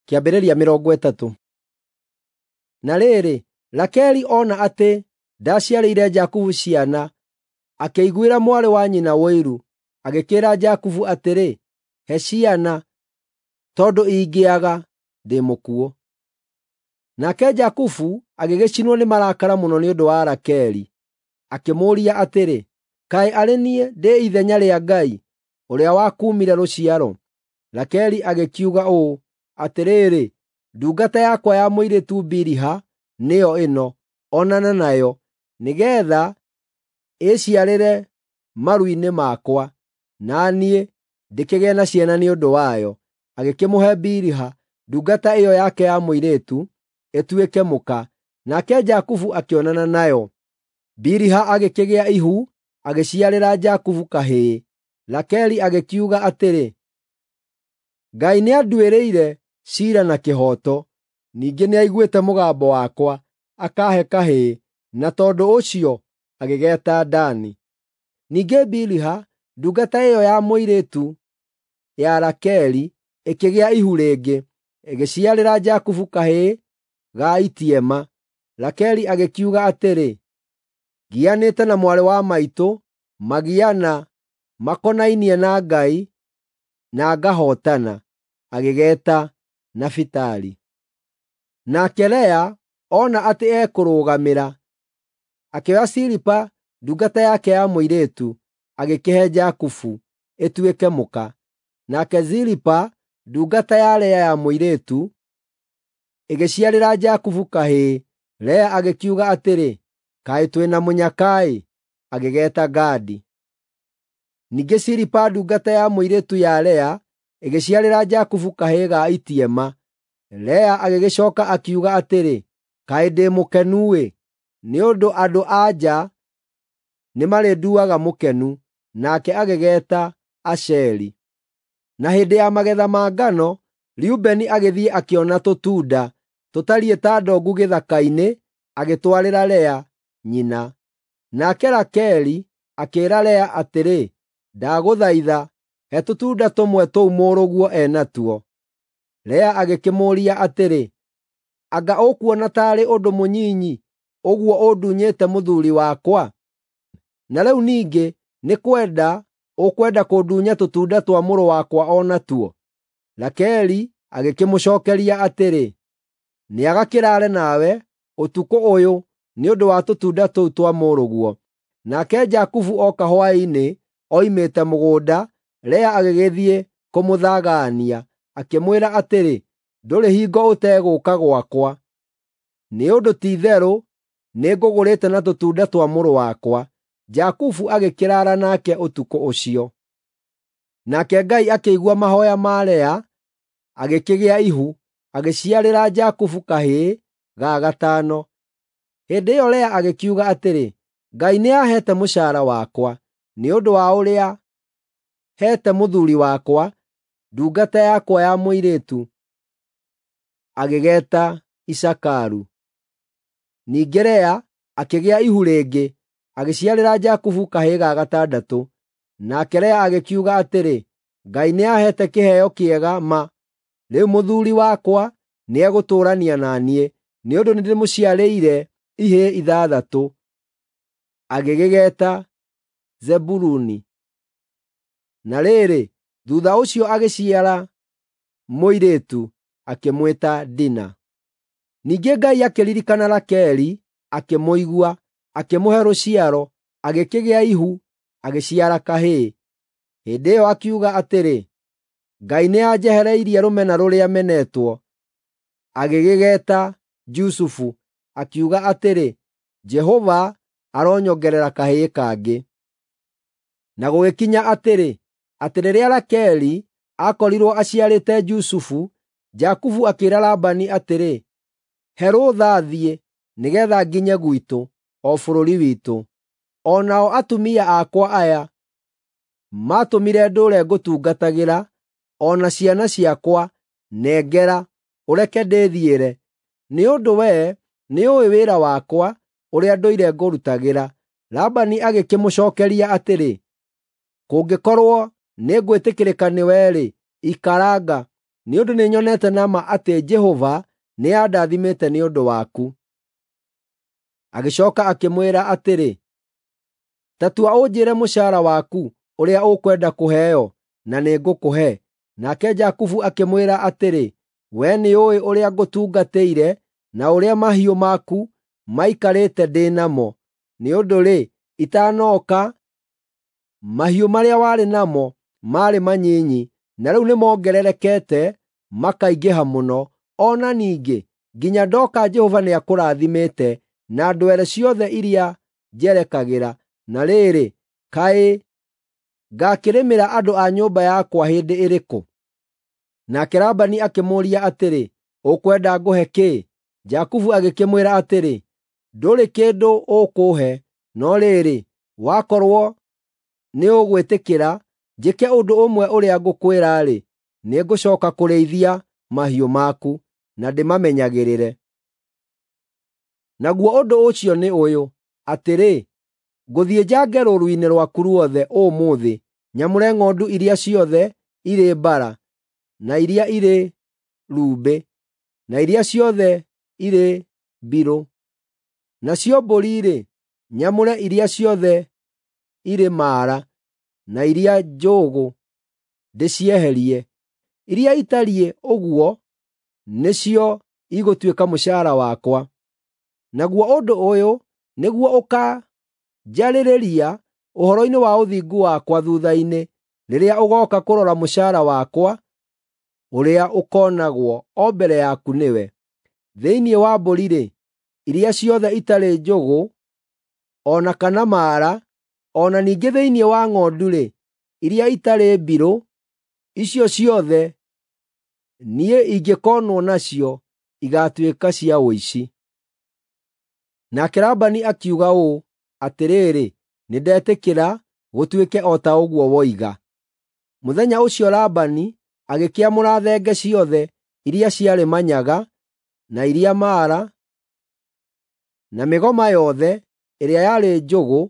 Kĩambĩrĩria 30. Na rĩrĩ, Rakeli ona atĩ ndaciarĩire Jakubu ciana, akĩiguĩra mwarĩ wa nyina ũiru, agĩkĩĩra Jakubu atĩrĩ, “He ciana, tondũ ingĩaga, ndĩ mũkuũ.” Nake Jakubu agĩgĩcinwo nĩ marakara mũno nĩ ũndũ wa Rakeli, akĩmũũria atĩrĩ, “Kaĩ arĩ niĩ ndĩ ithenya rĩa Ngai, ũrĩa wakuumire rũciaro?” Rakeli agĩkiuga ũũ, “Atĩrĩrĩ, ndungata yakwa ya mũirĩtu Biliha nĩyo ĩno, onana nayo, nĩgeetha ĩĩciarĩre maru-inĩ makwa, na niĩ ndĩkĩgĩe na ciana nĩ ũndũ wayo.” Agĩkĩmũhe Biliha, ndungata ĩyo yake ya mũirĩtu, ĩtuĩke mũka, nake Jakubu akĩonana nayo. Biliha agĩkĩgĩa ihu, agĩciarĩra Jakubu kahĩĩ. Rakeli agĩkiuga atĩrĩ, “Ngai nĩanduĩrĩire ciira na kĩhooto, ningĩ nĩaiguĩte mũgambo wakwa, akaahe kahĩĩ,” na tondũ ũcio agĩgeeta Dani. Ningĩ Biliha, ndungata ĩyo ya mũirĩtu ya Rakeli, ĩkĩgĩa ihu rĩngĩ, ĩgĩciarĩra Jakubu kahĩĩ ga itiema. Rakeli agĩkiuga atĩrĩ, “Ngianĩte na mwarĩ wa maitũ magiana makonainie na Ngai na ngahootana.” Agĩgeeta Nafitali. Nake Lea ona atĩ ekũrũgamĩra, akĩoya Zilipa ndungata yake ya mũirĩtu, agĩkĩhe Jakubu ĩtuĩke mũka. Nake Zilipa ndungata ya Lea ya mũirĩtu ĩgĩciarĩra Jakubu kahĩĩ. Lea agĩkiuga atĩrĩ, “Kaĩ twĩ na mũnyaka-ĩ!” Agĩgeeta Gadi. Ningĩ Zilipa ndungata ya mũirĩtu ya Lea ĩgĩciarĩra Jakubu kahĩĩ ga itiema. Lea agĩgĩcooka akiuga atĩrĩ, “Kaĩ ndĩ mũkenu-ĩ! Nĩ ũndũ andũ-a-nja nĩmarĩnduaga mũkenu.” Nake agĩgeeta Asheri. Na hĩndĩ ya magetha ma ngano, Rubeni agĩthiĩ akĩona tũtunda tũtariĩ ta ndongu gĩthaka-inĩ, agĩtwarĩra Lea nyina. Nake Rakeli akĩĩra Lea atĩrĩ, “Ndagũthaitha, he tũtunda tũmwe tũu mũrũguo e natuo.” Lea agĩkĩmũũria atĩrĩ, “Anga ũkuona taarĩ ũndũ mũnyinyi ũguo ũndunyĩte mũthuuri wakwa? Na rĩu ningĩ nĩ kwenda ũkwenda kũndunya tũtunda twa mũrũ wakwa o natuo?” Rakeli agĩkĩmũcookeria atĩrĩ, “Nĩagakĩraare nawe ũtukũ ũyũ nĩ ũndũ wa tũtunda tũu twa mũrũguo.” Nake Jakubu ooka hwaĩ-inĩ oimĩte mũgũnda, Lea agĩgĩthiĩ kũmũthagaania, akĩmwĩra atĩrĩ, “Ndũrĩ hingo ũtegũũka gwakwa, nĩ ũndũ ti-itherũ nĩngũgũrĩte na tũtunda twa mũrũ wakwa.” Jakubu agĩkĩraara nake ũtukũ ũcio. Nake Ngai akĩigua mahooya ma Lea, agĩkĩgĩa ihu, agĩciarĩra Jakubu kahĩĩ ga gatano. Hĩndĩ ĩyo Lea agĩkiuga atĩrĩ, “Ngai nĩaheete mũcaara wakwa, nĩ ũndũ wa ũrĩa heete mũthuuri wakwa, ndungata yakwa ya mũirĩtu.” Agĩgeeta Isakaru. Ningĩ Lea akĩgĩa ihu rĩngĩ, agĩciarĩra Jakubu kahĩĩ ga gatandatũ. Nake Lea agĩkiuga atĩrĩ, “Ngai nĩaheete kĩheo kĩega ma. Rĩu mũthuuri wakwa nĩegũtũũrania na niĩ, nĩ ũndũ nĩndĩmũciarĩire ihĩĩ ithathatũ.” Agĩgĩgeeta Zebuluni. Na rĩrĩ, thuutha ũcio agĩciara mũirĩtu, akĩmwĩta Dina. Ningĩ Ngai akĩririkana Rakeli, akĩmũigua, akĩmũhe rũciaro, agĩkĩgĩa ihu, agĩciara kahĩĩ. Hĩndĩ ĩyo akiuga atĩrĩ, “Ngai nĩanjehereirie rũmena rũrĩa menetwo.” Agĩgĩgeeta Jusufu, akiuga atĩrĩ, “Jehova aronyongerera kahĩĩ kangĩ.” Na gũgĩkinya atĩrĩ, atĩ rĩrĩa Rakeli aakorirwo aciarĩte Jusufu, Jakubu akĩĩra Labani atĩrĩ, “He rũtha thiĩ, nĩgeetha nginye gwitũ, o bũrũri witũ. O nao atumia akwa aya maatũmire ndũũre ngũtungatagĩra, o na ciana ciakwa, nengera, ũreke ndĩthiĩre, nĩ ũndũ wee nĩũũĩ wĩra wakwa, ũrĩa ndũire ngũrutagĩra.” Labani agĩkĩmũcookeria atĩrĩ, “Kũngĩkorwo nĩngwĩtĩkĩrĩka nĩwe-rĩ, ikaranga. nĩ ũndũ nĩnyonete na ma atĩ Jehova nĩandathimĩte nĩ ũndũ waku. Agĩcooka akĩmwĩra atĩrĩ, Ta tua ũnjĩĩre mũcaara waku ũrĩa ũkwenda kũheo, na nĩngũkũhe. Nake Jakubu akĩmwĩra atĩrĩ, Wee nĩũũĩ ũrĩa ngũtungatĩire na ũrĩa mahiũ maku maikarĩte ndĩ namo. Nĩ ũndũ-rĩ, itanooka, mahiũ marĩa warĩ namo maarĩ manyinyi, na rĩu nĩmongererekete makaingĩha mũno. O na ningĩ, nginya ndooka Jehova nĩakũrathimĩte na ndwere ciothe iria njerekagĩra. Na rĩrĩ, kaĩ ngaakĩrĩmĩra andũ a nyũmba yakwa hĩndĩ ĩrĩkũ? Nake Labani akĩmũũria atĩrĩ, “Ũkwenda ngũhe kĩĩ?” Jakubu agĩkĩmwĩra atĩrĩ, “Ndũrĩ kĩndũ ũkũũhe, no rĩrĩ, wakorwo nĩũgwĩtĩkĩra njĩke ũndũ ũmwe ũrĩa ngũkwĩra-rĩ, nĩngũcooka kũrĩithia mahiũ maku na ndĩmamenyagĩrĩre. Naguo ũndũ ũcio nĩ ũyũ, atĩrĩ, ngũthiĩ njange rũũru-inĩ rwaku ruothe ũmũthĩ, nyamũre ng'ondu iria ciothe irĩ mbara, na iria irĩ rumbĩ, na iria ciothe irĩ mbirũ. Nacio mbũri-rĩ, nyamũre iria ciothe irĩ maara, na iria njũgũ ndĩcieherie. Iria itariĩ ũguo nĩcio igũtuĩka mũcaara wakwa. Naguo ũndũ ũyũ nĩguo ũkanjarĩrĩria ũhoro-inĩ wa ũthingu wakwa thuutha-inĩ, rĩrĩa ũgooka kũrora mũcaara wakwa ũrĩa ũkoonagwo o mbere yaku nĩwe. Thĩinĩ wa mbũri-rĩ, iria ciothe itarĩ njũgũ o na kana maara, o na ningĩ thĩinĩ wa ng'ondu-rĩ, iria itarĩ mbirũ, icio ciothe niĩ ingĩkoonwo nacio igaatuĩka cia ũici. Nake Labani akiuga ũũ, “Atĩrĩrĩ, nĩndetĩkĩra gũtuĩke o ta ũguo woiga.” Mũthenya ũcio Labani agĩkĩamũra thenge ciothe iria ciarĩ manyaga, na iria maara, na mĩgoma yothe ĩrĩa yarĩ njũgũ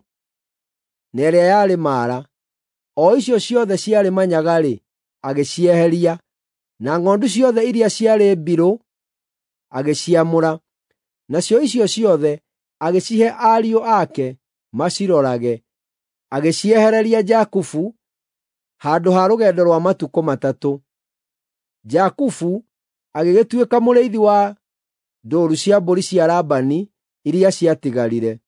na ĩrĩa yarĩ maara. O icio ciothe ciarĩ manyaga-rĩ, agĩcieheria, na ng'ondu ciothe iria ciarĩ mbirũ agĩciamũra. Nacio icio ciothe agĩcihe ariũ ake macirorage, agĩciehereria Jakubu handũ ha rũgendo rwa matukũ matatũ. Jakubu agĩgĩtuĩka mũrĩithi wa ndũũru cia mbũri cia Labani iria ciatigarire.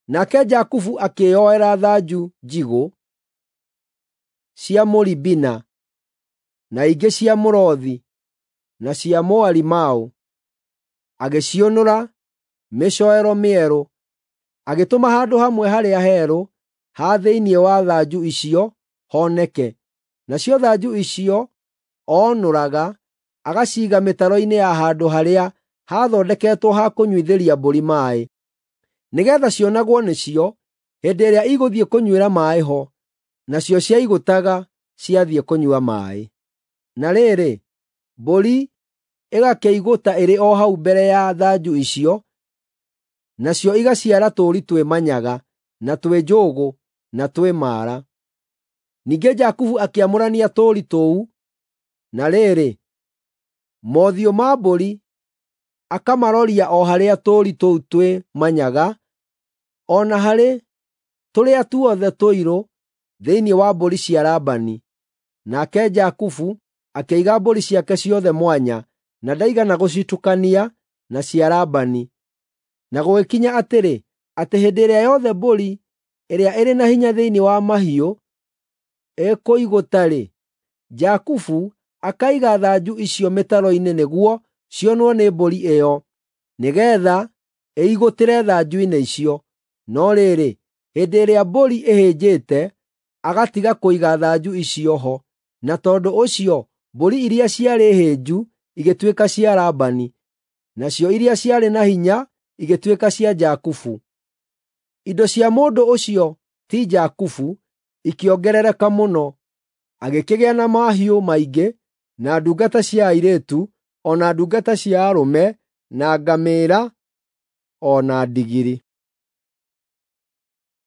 Nake Jakubu akĩĩyoera thanju njigũ cia mũribina, na ingĩ cia mũrothi, na cia mũarimaũ, agĩciũnũra mĩcoero mĩerũ, agĩtũma handũ hamwe harĩa herũ ha thĩinĩ wa thanju icio honeke. Nacio thanju icio oonũraga agaciiga mĩtaro-inĩ ya handũ harĩa haathondeketwo ha kũnyuithĩria mbũri maaĩ, nĩgeetha cionagwo nĩcio hĩndĩ ĩrĩa igũthiĩ kũnyuĩra maaĩ ho, nacio ciaigũtaga ciathiĩ kũnyua maaĩ. Na rĩrĩ, mbũri ĩgakĩigũta ĩrĩ o hau mbere ya thanju icio, nacio igaciara tũũri twĩ manyaga, na twĩ njũgũ, na twĩ maara. Ningĩ Jakubu akĩamũrania tũũri tũu, na rĩrĩ, mothiũ ma mbũri akamaroria o harĩa tũũri tũu twĩ manyaga, o na harĩ tũrĩa tuothe tũirũ thĩinĩ wa mbũri cia Labani. Nake Jakubu akĩiga mbũri ciake ciothe mwanya, na ndaigana gũcitukania na cia Labani. Na gũgĩkinya atĩrĩ, atĩ hĩndĩ ĩrĩa yothe mbũri ĩrĩa ĩrĩ na hinya thĩinĩ wa mahiũ ĩkũigũta-rĩ, Jakubu akaiga thanju icio mĩtaro-inĩ nĩguo cionwo nĩ mbũri ĩyo, nĩgeetha ĩigũtĩre thanju-inĩ icio. No rĩrĩ, hĩndĩ ĩrĩa mbũri ĩhĩnjĩte, agatiga kũiga thanju icio ho, na tondũ ũcio mbũri iria ciarĩ hĩnju igĩtuĩka cia Labani, nacio iria ciarĩ na hinya igĩtuĩka cia Jakubu. Indo cia mũndũ ũcio ti Jakubu ikĩongerereka mũno, agĩkĩgĩa na mahiũ maingĩ, na ndungata cia airĩtu, o na ndungata cia arũme, na ngamĩĩra, o na ndigiri.